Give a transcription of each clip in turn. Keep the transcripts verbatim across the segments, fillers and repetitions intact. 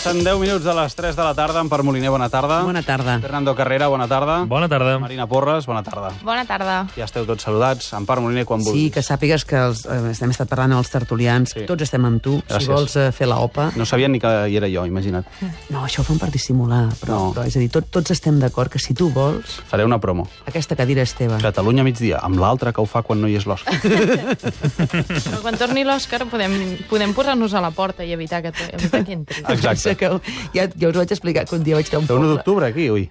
Passen deu minuts de les tres de la tarda. Empar Moliner, bona tarda. Bona tarda. Fernando Carrera, bona tarda. Bona tarda. Marina Porres, bona tarda. Bona tarda. Ja esteu tots saludats. Empar Moliner, quan vulguis. Sí, que sàpigues que els, eh, hem estat parlant amb els tertulians. Sí. Tots estem amb tu. Gràcies. Si vols eh, fer la opa... No sabien ni que hi era jo, imagina't. No, això ho fan per dissimular. Però, No. però és a dir, tot, tots estem d'acord que si tu vols, Faré una promo. aquesta cadira és teva. Catalunya migdia, amb l'altre que ho fa quan no hi és l'Òscar. Però quan torni l'Òscar podem, podem posar-nos a la porta i evitar que, evitar que entri. Exacte. Que ja, ja us ho vaig explicar que un dia vaig anar a un Té un poble. d'octubre, aquí, ui.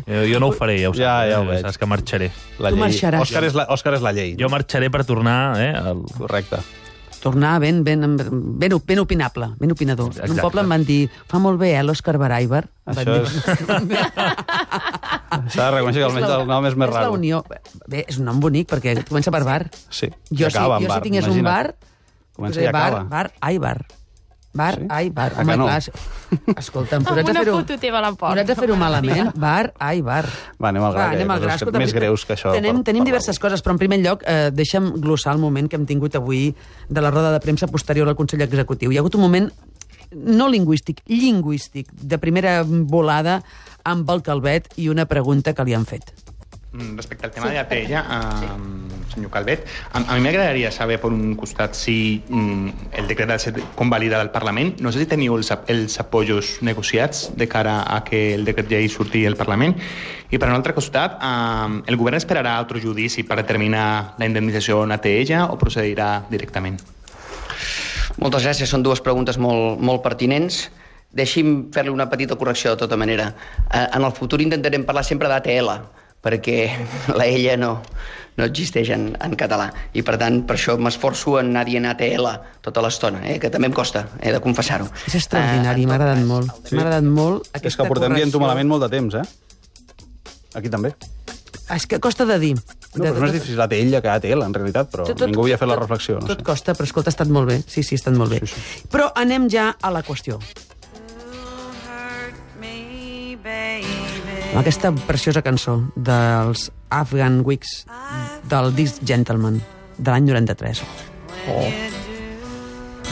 Jo, jo no ho faré, ja ho saps. Ja, ja ho eh? veig. Saps que marxaré. La Tu llei. marxaràs. Òscar és la, Òscar és la llei. Jo marxaré per tornar eh, al... Correcte. Tornar ben, ben, ben, ben opinable, ben opinador. En un Exacte. poble em van dir, fa molt bé, eh, l'Òscar Baraibar. Em van Això dir. és... S'ha de reconèixer que almenys el nom és més És la raro. unió. Bé, és un nom bonic, perquè comença per bar. Sí, Jo, i acaba si, amb jo bar. si tingués un imagina't. bar... Comença posaré i acaba. Bar, bar, ai, bar. Bar, Sí? ai, bar. A Home, que no? clar, escolta'm, Amb posats a una fer-ho... foto teva a la porta. Posats a fer-ho malament, bar, ai, bar. Va, anem al gra, Va, que anem hi ha al gra. coses Escolta, més greus que això. Tenim, per- tenim per diverses coses, però en primer lloc, eh, deixa'm glossar el moment que hem tingut avui de la roda de premsa posterior al Consell Executiu. Hi ha hagut un moment no lingüístic, lingüístic, de primera volada amb el Calvet i una pregunta que li han fet. Respecte al tema de l'A T L, eh, senyor Calvet, a, a mi m'agradaria saber, per un costat, si mm, el decret ha de ser convalidat al Parlament. No sé si teniu els, els apoyos negociats de cara a que el decret llei surti al Parlament. I per un altre costat, eh, el govern esperarà altre judici per determinar la indemnització en A T L o procedirà directament? Moltes gràcies, són dues preguntes molt, molt pertinents. Deixi'm fer-li una petita correcció de tota manera. Eh, en el futur intentarem parlar sempre d'A T L, perquè la ella no, no existeix en, en català. I per tant, per això m'esforço en anar dient A T L tota l'estona, eh, que també em costa, he de confessar-ho. És extraordinari, Eh, m'ha agradat molt. Sí. M'ha agradat molt És aquesta que portem dient-ho correcció. malament molt de temps, eh? Aquí també. És que costa de dir. No, però no és difícil A T L que A T L, en realitat, però ningú havia fet la reflexió. No Tot sé. costa, però escolta, ha estat molt bé. Sí, sí, ha estat molt bé. Sí, sí. Però anem ja a la qüestió. Aquesta preciosa cançó dels Afghan Wigs del disc Gentleman de l'any noranta-tres. Oh.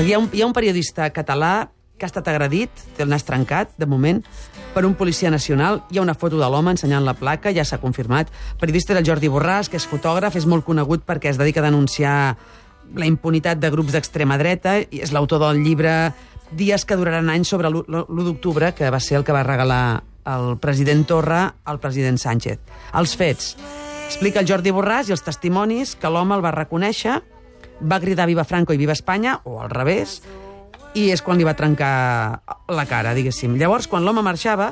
Hi ha, un, hi ha un periodista català que ha estat agredit, té el nas trencat, de moment, per un policia nacional. Hi ha una foto de l'home ensenyant la placa, ja s'ha confirmat. El periodista és el Jordi Borràs, que és fotògraf, és molt conegut perquè es dedica a denunciar la impunitat de grups d'extrema dreta, i és l'autor del llibre Dies que duraran anys sobre l'u d'octubre, que va ser el que va regalar el president Torra al president Sánchez. Els fets. Explica el Jordi Borràs i els testimonis que l'home el va reconèixer, va cridar Viva Franco i Viva Espanya, o al revés, i és quan li va trencar la cara, diguéssim. Llavors, quan l'home marxava,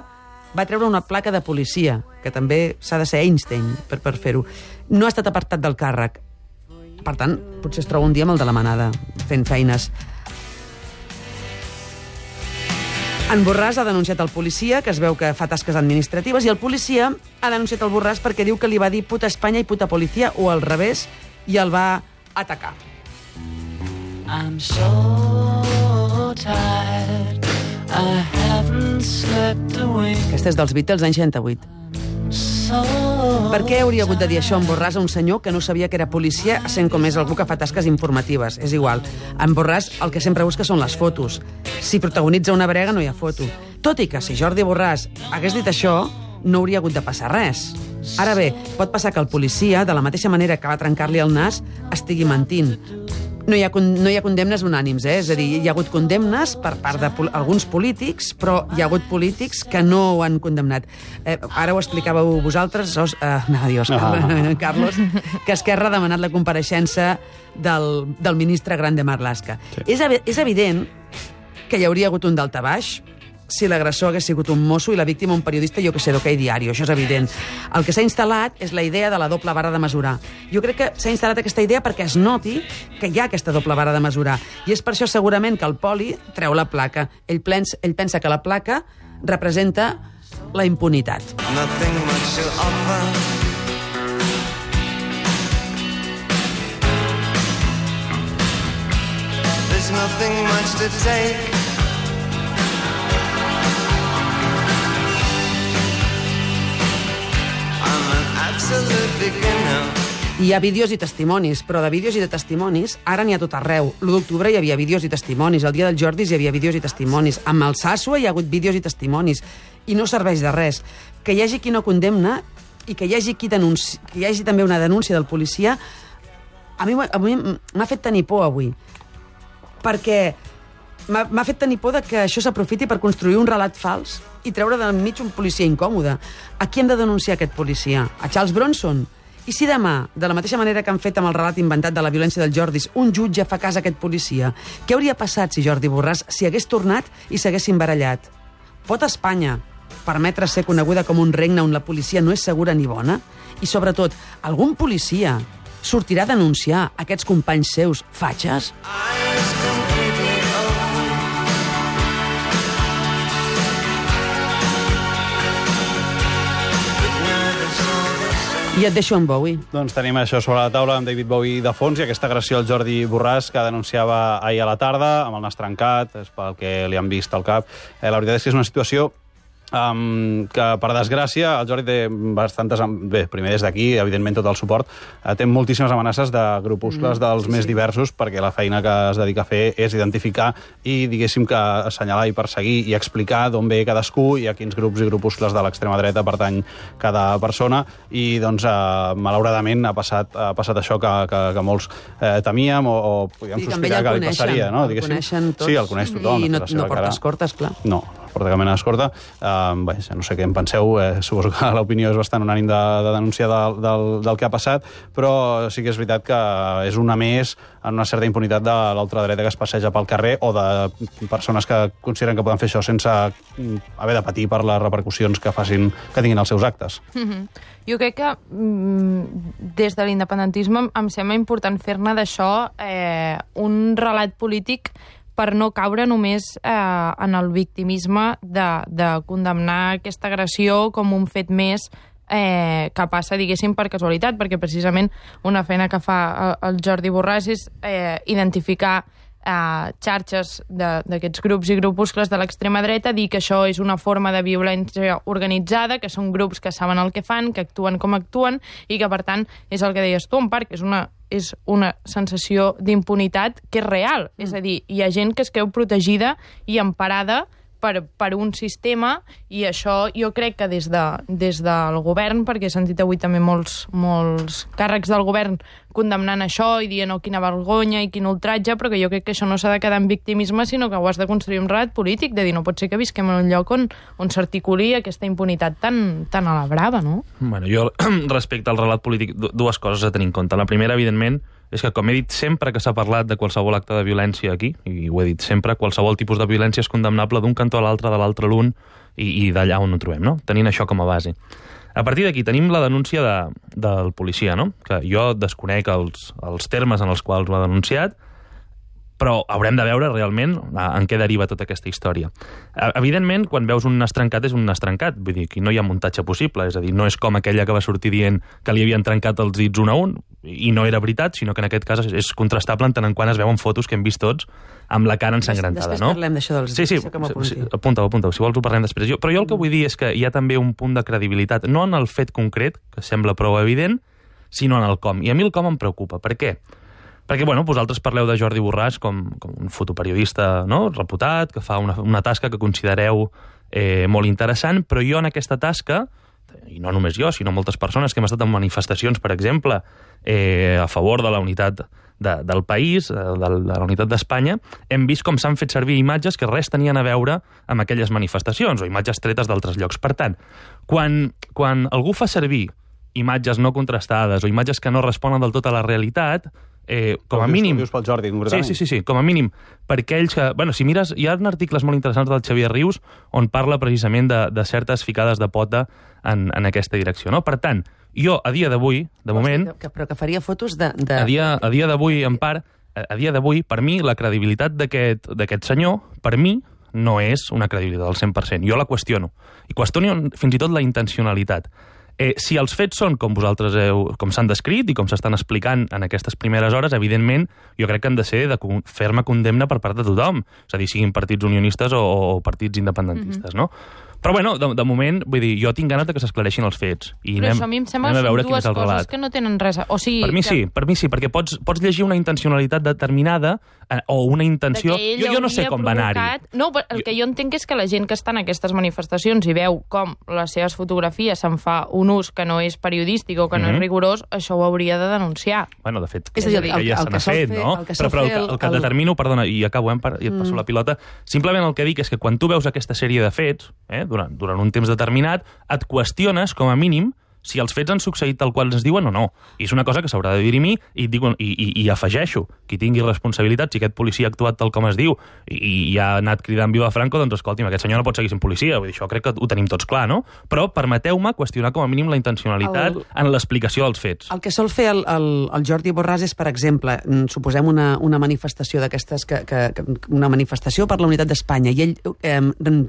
va treure una placa de policia, que també s'ha de ser Einstein per, per fer-ho. No ha estat apartat del càrrec. Per tant, potser es troba un dia amb el de la manada, fent feines. En Borràs ha denunciat el policia, que es veu que fa tasques administratives, i el policia ha denunciat el Borràs perquè diu que li va dir puta Espanya i puta policia, o al revés, i el va atacar. I'm so tired, I haven't slept a wink. Aquesta és dels Beatles, anys seixanta-vuit. So Per què hauria hagut de dir això en Borràs a un senyor que no sabia que era policia, sent com és algú que fa tasques informatives? És igual. En Borràs el que sempre busca són les fotos. Si protagonitza una brega no hi ha foto. Tot i que si Jordi Borràs hagués dit això, no hauria hagut de passar res. Ara bé, pot passar que el policia, de la mateixa manera que va trencar-li el nas, estigui mentint. No hi, ha, no hi ha condemnes unànims, eh? És a dir, hi ha hagut condemnes per part d'alguns polítics, però hi ha hagut polítics que no ho han condemnat. Eh, ara ho explicàveu vosaltres, os, eh, no, Dios, Ah. Carlos, que Esquerra ha demanat la compareixença del, del ministre Grande Marlaska. Sí. És, evi- és evident que hi hauria hagut un daltabaix si l'agressor hagués sigut un mosso i la víctima un periodista, jo que sé, d'Ok Diario, això és evident. El que s'ha instal·lat és la idea de la doble vara de mesurar. Jo crec que s'ha instal·lat aquesta idea perquè es noti que hi ha aquesta doble vara de mesurar. I és per això segurament que el poli treu la placa. Ell, plens, ell pensa que la placa representa la impunitat. nothing much to offer. There's nothing much to take. I'm an absolute beginner. Hi ha vídeos i testimonis, però de vídeos i de testimonis ara n'hi ha tot arreu. L'u d'octubre hi havia vídeos i testimonis, el dia dels Jordis hi havia vídeos i testimonis, amb el Sàssua hi ha hagut vídeos i testimonis, i no serveix de res. Que hi hagi qui no condemna i que hi hagi, qui denunci... que hi hagi també una denúncia del policia, a mi, a mi m'ha fet tenir por avui, perquè m'ha fet tenir por de que això s'aprofiti per construir un relat fals i treure de mig un policia incòmode. A qui hem de denunciar aquest policia? A Charles Bronson? I si demà, de la mateixa manera que han fet amb el relat inventat de la violència dels Jordis, un jutge fa cas a aquest policia, què hauria passat si Jordi Borràs s'hi hagués tornat i s'haguessin barallat? Pot Espanya permetre ser coneguda com un regne on la policia no és segura ni bona? I, sobretot, algun policia sortirà a denunciar aquests companys seus fatxes? I et deixo amb Bowie. Doncs tenim això sobre la taula amb David Bowie de fons i aquesta agressió al Jordi Borràs que denunciava ahir a la tarda amb el nas trencat, és pel que li han vist al cap. Eh, la veritat és que és una situació Um, que, per desgràcia, el Jordi té bastantes... Bé, primer des d'aquí, evidentment, tot el suport. Uh, té moltíssimes amenaces de grupuscles mm, dels sí, més sí. diversos, perquè la feina que es dedica a fer és identificar i, diguéssim, que assenyalar i perseguir i explicar d'on ve cadascú i a quins grups i grupuscles de l'extrema dreta pertany cada persona. I, doncs, uh, malauradament, ha passat, ha passat això que, que, que molts eh, temíem o, o podíem sospitar que li passaria. No? El coneixen tots. Sí, el coneix tothom. I no, no porta escortes, clar. No, porta cap mena d'escorta. Uh, bé, no sé què en penseu, eh, suposo que l'opinió és bastant unànim de, de denunciar del, del, del que ha passat, però sí que és veritat que és una més en una certa impunitat de l'ultradreta que es passeja pel carrer o de persones que consideren que poden fer això sense haver de patir per les repercussions que facin, que tinguin els seus actes. Mm-hmm. Jo crec que mm, des de l'independentisme em sembla important fer-ne d'això eh, un relat polític per no caure només eh, en el victimisme de, de condemnar aquesta agressió com un fet més eh, que passa, diguéssim, per casualitat, perquè precisament una feina que fa el Jordi Borràs és eh, identificar eh, xarxes d'aquests grups i grupuscles de l'extrema dreta, dir que això és una forma de violència organitzada, que són grups que saben el que fan, que actuen com actuen, i que, per tant, és el que deies tu, en part, que és una és una sensació d'impunitat que és real. Mm. És a dir, hi ha gent que es creu protegida i emparada per, per un sistema, i això jo crec que des, de, des del govern, perquè he sentit avui també molts, molts càrrecs del govern condemnant això i dient oh, quina vergonya i quin ultratge, però que jo crec que això no s'ha de quedar en victimisme, sinó que ho has de construir un relat polític, de dir, no pot ser que visquem en un lloc on, on s'articuli aquesta impunitat tan, tan a la brava, no? Bueno, jo, respecte al relat polític, dues coses a tenir en compte. La primera, evidentment, és que, com he dit sempre que s'ha parlat de qualsevol acte de violència aquí, i ho he dit sempre, qualsevol tipus de violència és condemnable d'un cantó a l'altre, de l'altre a l'un, i, i d'allà on ho trobem, no? Tenint això com a base. A partir d'aquí tenim la denúncia de, del policia, no? Que jo desconec els, els termes en els quals ho ha denunciat, però haurem de veure realment en què deriva tota aquesta història. Evidentment, quan veus un nas trencat, és un nas trencat. Vull dir, que no hi ha muntatge possible. És a dir, no és com aquella que va sortir dient que li havien trencat els dits un a un, i no era veritat, sinó que en aquest cas és contrastable en tant en quant es veuen fotos que hem vist tots amb la cara ensangrentada, després no? Després parlem d'això dels dits, sí, sí, que m'apunti. Sí, apunta-ho, apunta-ho. Si vols ho parlem després. Jo, però jo el que vull dir és que hi ha també un punt de credibilitat, no en el fet concret, que sembla prou evident, sinó en el com. I a mi el com em preocupa. Per què? Perquè, bueno, vosaltres parleu de Jordi Borràs com, com un fotoperiodista, no?, reputat, que fa una, una tasca que considereu eh, molt interessant, però jo en aquesta tasca, i no només jo, sinó moltes persones que hem estat en manifestacions, per exemple, eh, a favor de la unitat de, del país, de, de la unitat d'Espanya, hem vist com s'han fet servir imatges que res tenien a veure amb aquelles manifestacions, o imatges tretes d'altres llocs. Per tant, quan, quan algú fa servir imatges no contrastades o imatges que no responen del tot a la realitat, Eh, com a mínim... Dius pel Jordi, sí, sí, sí, sí, com a mínim, per aquells que... Bueno, si mires, hi ha articles molt interessants del Xavier Rius on parla precisament de, de certes ficades de pota en, en aquesta direcció, no? Per tant, jo, a dia d'avui, de moment... Que, però que faria fotos de... de... A dia, a dia d'avui, en part, a dia d'avui, per mi, la credibilitat d'aquest senyor, per mi, no és una credibilitat al cent per cent. Jo la qüestiono. I qüestiono fins i tot la intencionalitat. Eh, si els fets són com vosaltres heu, com s'han descrit i com s'estan explicant en aquestes primeres hores, evidentment, jo crec que han de ser de ferma condemna per part de tothom. És a dir, siguin partits unionistes o, o partits independentistes, mm-hmm. no? Però bueno, de, de moment, vull dir, jo tinc ganes de que s'esclareixin els fets. I Però anem, això a mi em sembla anem a que veure són quin dues és el coses relat. que no tenen res a... O sigui, Per mi que... sí, per mi sí, perquè pots, pots llegir una intencionalitat determinada eh, o una intenció... que ell Jo, jo no sé hauria com va anar-hi. provocat- No, però el que jo entenc és que la gent que està en aquestes manifestacions i veu com les seves fotografies se'n fa un ús que no és periodístic o que no Mhm. és rigorós, això ho hauria de denunciar. Bueno, de fet, És a dir, que el- ja el se que n'ha sol fet, fer- no? el que Però, sol però el, fer que- el- el que el- determino, perdona, i acabo, eh, per- i et passo Mm. la pilota, simplement el que dic és que quan tu veus aquesta sèrie de fets, eh, durant, durant un temps determinat, et qüestiones, com a mínim, si els fets han succeït tal qual ens diuen o no. I és una cosa que s'haurà de dirimir i, dic, i, i, i afegeixo, qui tingui responsabilitat, si aquest policia ha actuat tal com es diu i, i ha anat cridant viva Franco, doncs escolti'm, aquest senyor no pot seguir sent policia. Vull dir, això crec que ho tenim tots clar, no? Però permeteu-me qüestionar com a mínim la intencionalitat El- en l'explicació dels fets. El que sol fer el, el, el Jordi Borràs és, per exemple, mm, suposem una, una manifestació d'aquestes, que, que, que, una manifestació per la unitat d'Espanya, i ell eh,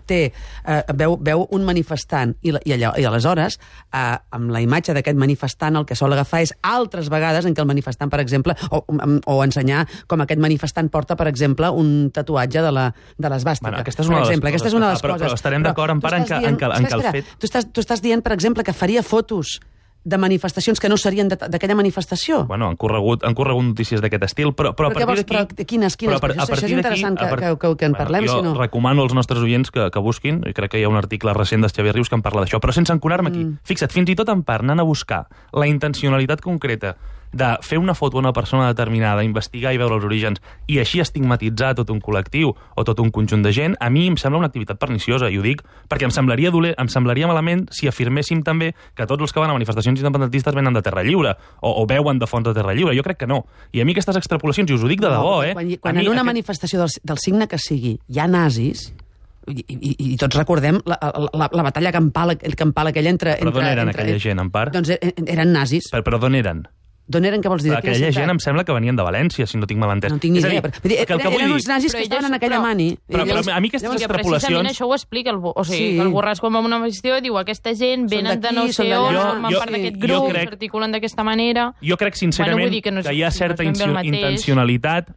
té, eh, veu, veu un manifestant, i, la- i, allò, i aleshores, eh, amb la imatge d'aquest manifestant, el que sol agafar és altres vegades en què el manifestant, per exemple, o, o ensenyar com aquest manifestant porta, per exemple, un tatuatge de la de l'esbàstica. Bueno, aquesta és una per de les exemple, aquesta és una de les coses. Però- coses. però estarem d'acord, en tu part, en estàs que- en que- en que el espera, fet- Tu estàs, tu estàs dient, per exemple, que faria fotos de manifestacions que no serien de- d'aquella manifestació. Bueno, han corregut, han corregut notícies d'aquest estil, però, però, Però a què partir vols- d'aquí... però quines- quines? però a par- Això- a això és partir d'aquí- interessant que- a part- que- que- que en parlem, jo si no. recomano als nostres oients que, que busquin, i crec que hi ha un article recent del Xavier Rius que en parla d'això, però sense enconar-me aquí. Mm. Fixa't, fins i tot en part, anant a buscar la intencionalitat concreta de fer una foto a una persona determinada, investigar i veure els orígens, i així estigmatitzar tot un col·lectiu o tot un conjunt de gent, a mi em sembla una activitat perniciosa, i ho dic perquè em semblaria doler, em semblaria malament si afirméssim també que tots els que van a manifestacions independentistes venen de Terra Lliure, o, o veuen de fons de Terra Lliure. Jo crec que no. I a mi aquestes extrapolacions, i us ho dic de debò, eh? Quan, A quan mi en una aquest- manifestació del, del signe que sigui hi ha nazis, i, i, i tots recordem la, la, la batalla campal, el campal aquell entre... Però d'on entre, eren entre, aquella gent, en part? Doncs e- eren nazis. Però, però d'on eren? D'on eren, què vols dir? De quina Aquella ciutat? gent em sembla que venien de València, si no tinc mal entès. No tinc ni És a idea. dir, Però, vull dir, que el que eren, vull eren dir- uns nazis Però que estaven elles- en aquella però- mani. Però, I però llavors- a mi aquestes Llavors, que extrapolacions... precisament això ho explica el, o sigui, Sí. que el Borràs quan va a una manifestació diu aquesta gent venen de no d'aquí, són sé on, d'allà. formen Jo- part jo- d'aquest jo grup, crec- s'articulen d'aquesta manera... Jo crec sincerament Bueno, vull dir que no és- que hi ha no és certa ben bé el incio- mateix. intencionalitat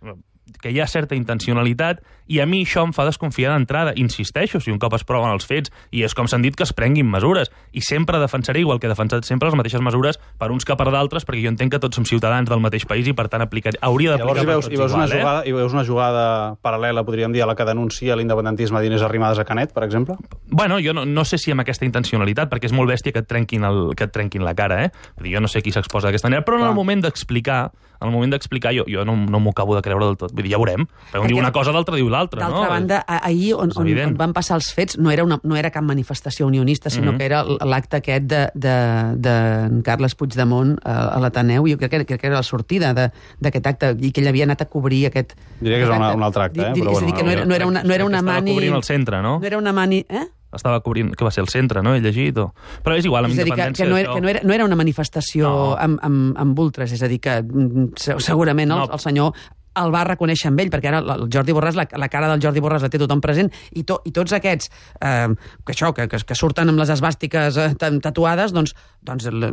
que hi ha certa intencionalitat i a mi això em fa desconfiar d'entrada. Insisteixo, si un cop es proven els fets i és com s'han dit que es prenguin mesures. I sempre defensaré, igual que he defensat sempre, les mateixes mesures per uns que per d'altres, perquè jo entenc que tots som ciutadans del mateix país i per tant aplicar, hauria Llavors d'aplicar hi per veus, tots hi, veus una igual, jugada, hi veus una jugada paral·lela, podríem dir, a la que denuncia l'independentisme d'Inés Arrimadas a Canet, per exemple? eh? Bueno, jo no, no sé si amb aquesta intencionalitat, perquè és molt bèstia que et trenquin, el, que et trenquin la cara, eh? Vull dir, jo no sé qui s'exposa d'aquesta manera, però en el Clar. moment d'explicar, en el moment d'explicar, jo, jo no, no m'ho acabo de creure del tot. Vull dir, ja veurem. Però un Perquè, diu una cosa, l'altre diu l'altra, no? D'altra banda, a- ahir on, És on, evident. on van passar els fets no era, una, no era cap manifestació unionista, sinó Mhm. que era l'acte aquest de, de, de en Carles Puigdemont a, a l'Ateneu, i jo crec que, crec que era la sortida de- d'aquest acte, i que ell havia anat a cobrir aquest... Diria que és aquest una- acte. un altre acte, eh? Di- di- Però és a dir, bueno, que no era, no era una, no era una Estava mani... cobrint el centre, no? No era una mani... Eh? Estava cobrint, que va ser el centre, no? He llegit. O... Però és igual, amb És a dir, que, independència que, no era, d'això- que no, era, no era una manifestació No. amb, amb, amb ultres, és a dir, que mm, se- segurament el, No. el senyor el va reconèixer amb ell, perquè ara el Jordi Borràs, la, la cara del Jordi Borràs la té tothom present, i, to, i tots aquests eh, que això, que, que, que surten amb les esbàstiques eh, tatuades, doncs, doncs li,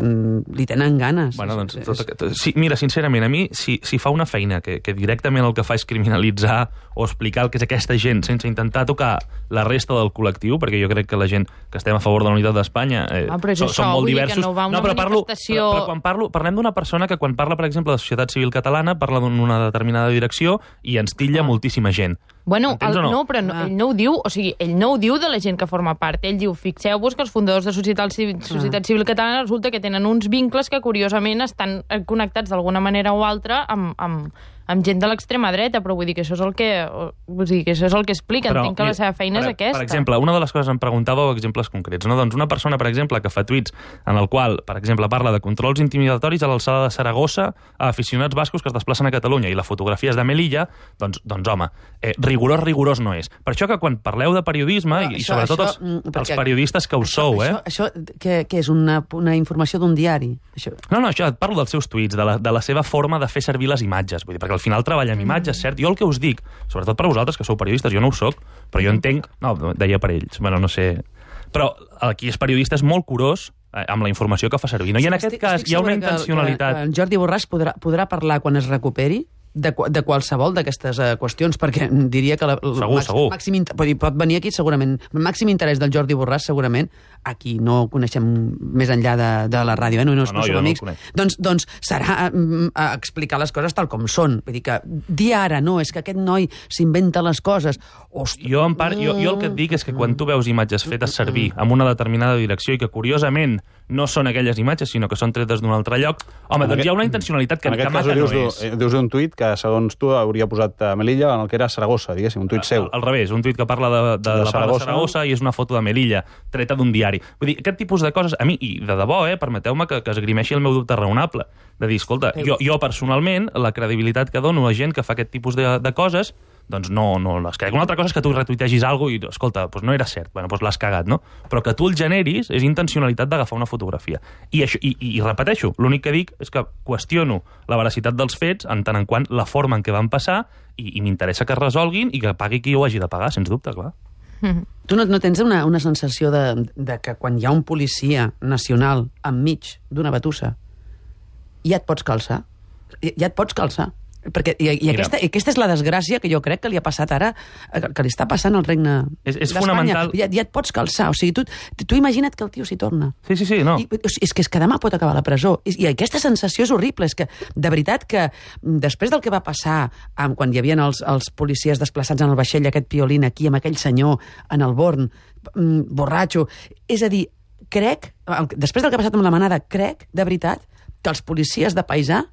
li tenen ganes. Bueno, doncs, És- tot aquest... sí, mira, sincerament, a mi, si, si fa una feina que, que directament el que fa és criminalitzar o explicar el que és aquesta gent sense intentar tocar la resta del col·lectiu, perquè jo crec que la gent que estem a favor de la unitat d'Espanya eh, Ah, però és som, això, som molt vull dir que diversos. no va a una però, parlo, manifestació- però, però quan parlo, parlem d'una persona que quan parla, per exemple, de la societat civil catalana, parla d'una determinada direcció i ens titlla moltíssima gent. Bueno, Entens el, o no? no, però no, Ah. ell no ho diu, o sigui, ell no ho diu de la gent que forma part. Ell diu, fixeu-vos que els fundadors de Societat Civil, Societat Civil Catalana resulta que tenen uns vincles que, curiosament, estan eh, connectats d'alguna manera o altra amb, amb, amb gent de l'extrema dreta, però vull dir que això és el que, vull dir que això és el que explica. Entenc que mira, la seva feina per, és aquesta. Per exemple, una de les coses em preguntàveu exemples concrets, no? Doncs una persona, per exemple, que fa tuits en el qual, per exemple, parla de controls intimidatoris a l'alçada de Saragossa a aficionats bascos que es desplacen a Catalunya i la fotografia és de Melilla, doncs, doncs home, eh, rigorós, rigorós no és. Per això que quan parleu de periodisme, Però i, i això- sobretot això, els, mm, els perquè- periodistes que us això, sou, eh? Això, això què, què és, una, una informació d'un diari? Això. No, no, això, et parlo dels seus tuits, de la, de la seva forma de fer servir les imatges, vull dir, perquè al final treballa amb imatges, cert? Jo el que us dic, sobretot per vosaltres, que sou periodistes, jo no ho soc, però jo entenc... No, deia per ells, bueno, no sé... Però aquí és periodista és molt curós eh, amb la informació que fa servir, no? I en aquest Estic- cas estic hi ha una segura que- intencionalitat... Que, que el Jordi Borràs podrà, podrà parlar quan es recuperi, de, de qualsevol d'aquestes uh, qüestions, perquè diria que la, el Segur, màxim, segur. màxim inter- pot, dir, pot venir aquí segurament, el màxim interès del Jordi Borràs segurament, aquí no el coneixem més enllà de, de la ràdio, eh? no, no, no, no, no jo som no el amics, conec. doncs, doncs serà mm, a explicar les coses tal com són, vull dir que dir ara, no, és que aquest noi s'inventa les coses, ostres, Jo, en part, jo, jo el que et dic és que quan tu veus imatges fetes servir amb una determinada direcció i que, curiosament, no són aquelles imatges, sinó que són tretes d'un altre lloc, home, En doncs aquest- hi ha una intencionalitat que, en que aquest cas mata no dius, és. tu, dius un tuit que, segons tu, hauria posat a Melilla en el que era Saragossa, diguéssim, un tuit seu. Al, al revés, un tuit que parla de, de, de la part de Saragossa i és una foto de Melilla, treta d'un diari. Vull dir, aquest tipus de coses, a mi, i de debò, eh, permeteu-me que, que esgrimeixi el meu dubte raonable, de dir, escolta, jo, jo personalment, la credibilitat que dono a gent que fa aquest tipus de, de coses, doncs no, no les crec. Una altra cosa és que tu retuitegis alguna cosa i, escolta, doncs no era cert, bueno, doncs l'has cagat, no? Però que tu el generis és intencionalitat d'agafar una fotografia. I, això, i, i, i repeteixo, l'únic que dic és que qüestiono la veracitat dels fets en tant en quant la forma en què van passar i, i m'interessa que es resolguin i que pagui qui ho hagi de pagar, sens dubte, clar. tu no, no tens una, una sensació de, de que quan hi ha un policia nacional enmig d'una batussa ja et pots calçar? Ja et pots calçar? Perquè, i, i aquesta, aquesta és la desgràcia que jo crec que li ha passat ara, que, que li està passant al regne És- és d'Espanya. fonamental. Ja, ja et pots calçar. O sigui, tu, tu imagina't que el tio s'hi torna. Sí, sí, sí, no. I, o sigui, és que és que demà pot acabar a la presó. I, I aquesta sensació és horrible. És que, de veritat, que mm, després del que va passar amb, quan hi havia els, els policies desplaçats en el vaixell, aquest piolín aquí, amb aquell senyor en el Born, mm, borratxo... És a dir, crec, després del que ha passat amb la manada, crec, de veritat, que els policies de paisà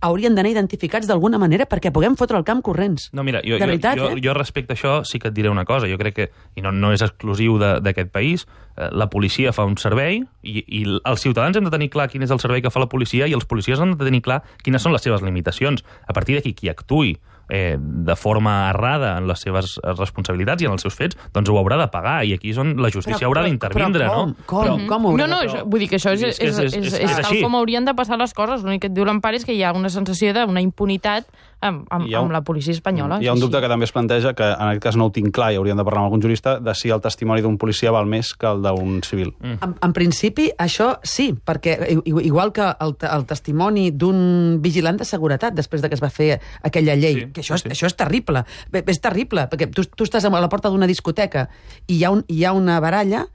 haurien d'anar identificats d'alguna manera perquè puguem fotre el camp corrents. No, mira, jo, de veritat, jo, jo, eh? jo respecte a això sí que et diré una cosa. Jo crec que, i no, no és exclusiu de- d'aquest país, eh, la policia fa un servei i, i els ciutadans hem de tenir clar quin és el servei que fa la policia i els policies han de tenir clar quines són les seves limitacions. A partir d'aquí, qui actuï eh, de forma errada en les seves responsabilitats i en els seus fets, doncs ho haurà de pagar i aquí és on la justícia Però- haurà però- d'intervindre, però com? no? Com? Però, Com ho haurà No, no, de- això, vull dir que això és, És és, que és, és- és, és- és, és tal així. com haurien de passar les coses. L'únic que et diu l'Empar és que hi ha una sensació d'una impunitat amb, amb, Hi ha un- amb la policia espanyola. Hi ha un Sí, dubte sí. que també es planteja, que en aquest cas no ho tinc clar i hauríem de parlar amb algun jurista, de si el testimoni d'un policia val més que el d'un civil. Mm. En, en principi, això sí, perquè i- i- igual que el, te- el testimoni d'un vigilant de seguretat després de que es va fer aquella llei, Sí, que això, sí. és, això és terrible, Bé, és terrible, perquè tu, tu estàs a la porta d'una discoteca i hi ha, un, hi ha una baralla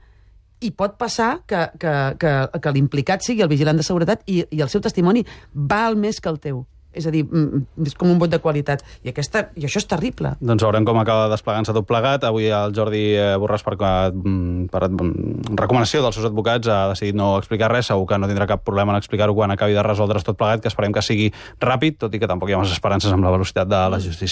i pot passar que, que, que, que l'implicat sigui el vigilant de seguretat i, i el seu testimoni val més que el teu. És a dir, mm, és com un vot de qualitat. I, aquesta, i això és terrible. Doncs veurem com acaba desplegant-se tot plegat. Avui el Jordi eh, Borràs, per, mm, per mm, recomanació dels seus advocats, ha decidit no explicar res. Segur que no tindrà cap problema en explicar-ho quan acabi de resoldre's tot plegat, que esperem que sigui ràpid, tot i que tampoc hi ha massa esperances amb la velocitat de la justícia.